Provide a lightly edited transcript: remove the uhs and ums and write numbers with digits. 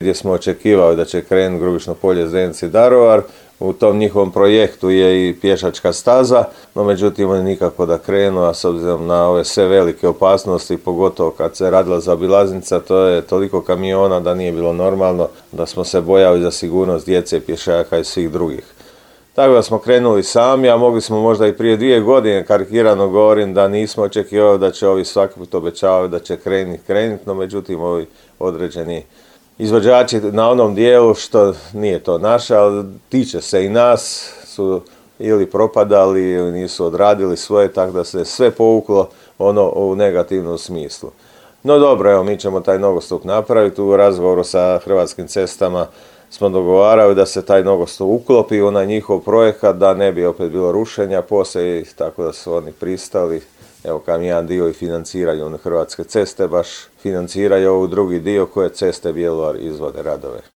gdje smo očekivali da će krenuti Grubišno Polje, Zdenci, Daruvar. U tom njihovom projektu je i pješačka staza, no međutim oni nikako da krenu, a s obzirom na ove sve velike opasnosti, pogotovo kad se radila zaobilaznica, to je toliko kamiona da nije bilo normalno, da smo se bojali za sigurnost djece, pješaka i svih drugih. Tako da smo krenuli sami, a mogli smo možda i prije 2 godine, karikirano govorim, da nismo očekivali da će ovi svaki put obećavati da će krenuti, no međutim ovi određeni izvođači na onom dijelu, što nije to naše, ali tiče se i nas, su ili propadali ili nisu odradili svoje, tako da se sve povuklo u negativnom smislu. No dobro, evo, mi ćemo taj nogostup napraviti. U razgovoru sa Hrvatskim cestama smo dogovarali da se taj nogostup uklopi u onaj njihov projekat, da ne bi opet bilo rušenja poslije, tako da su oni pristali. Evo, kam jedan dio i financiraju Hrvatske ceste, baš financiraju ovu drugi dio koje Ceste Bjelovar izvode radove.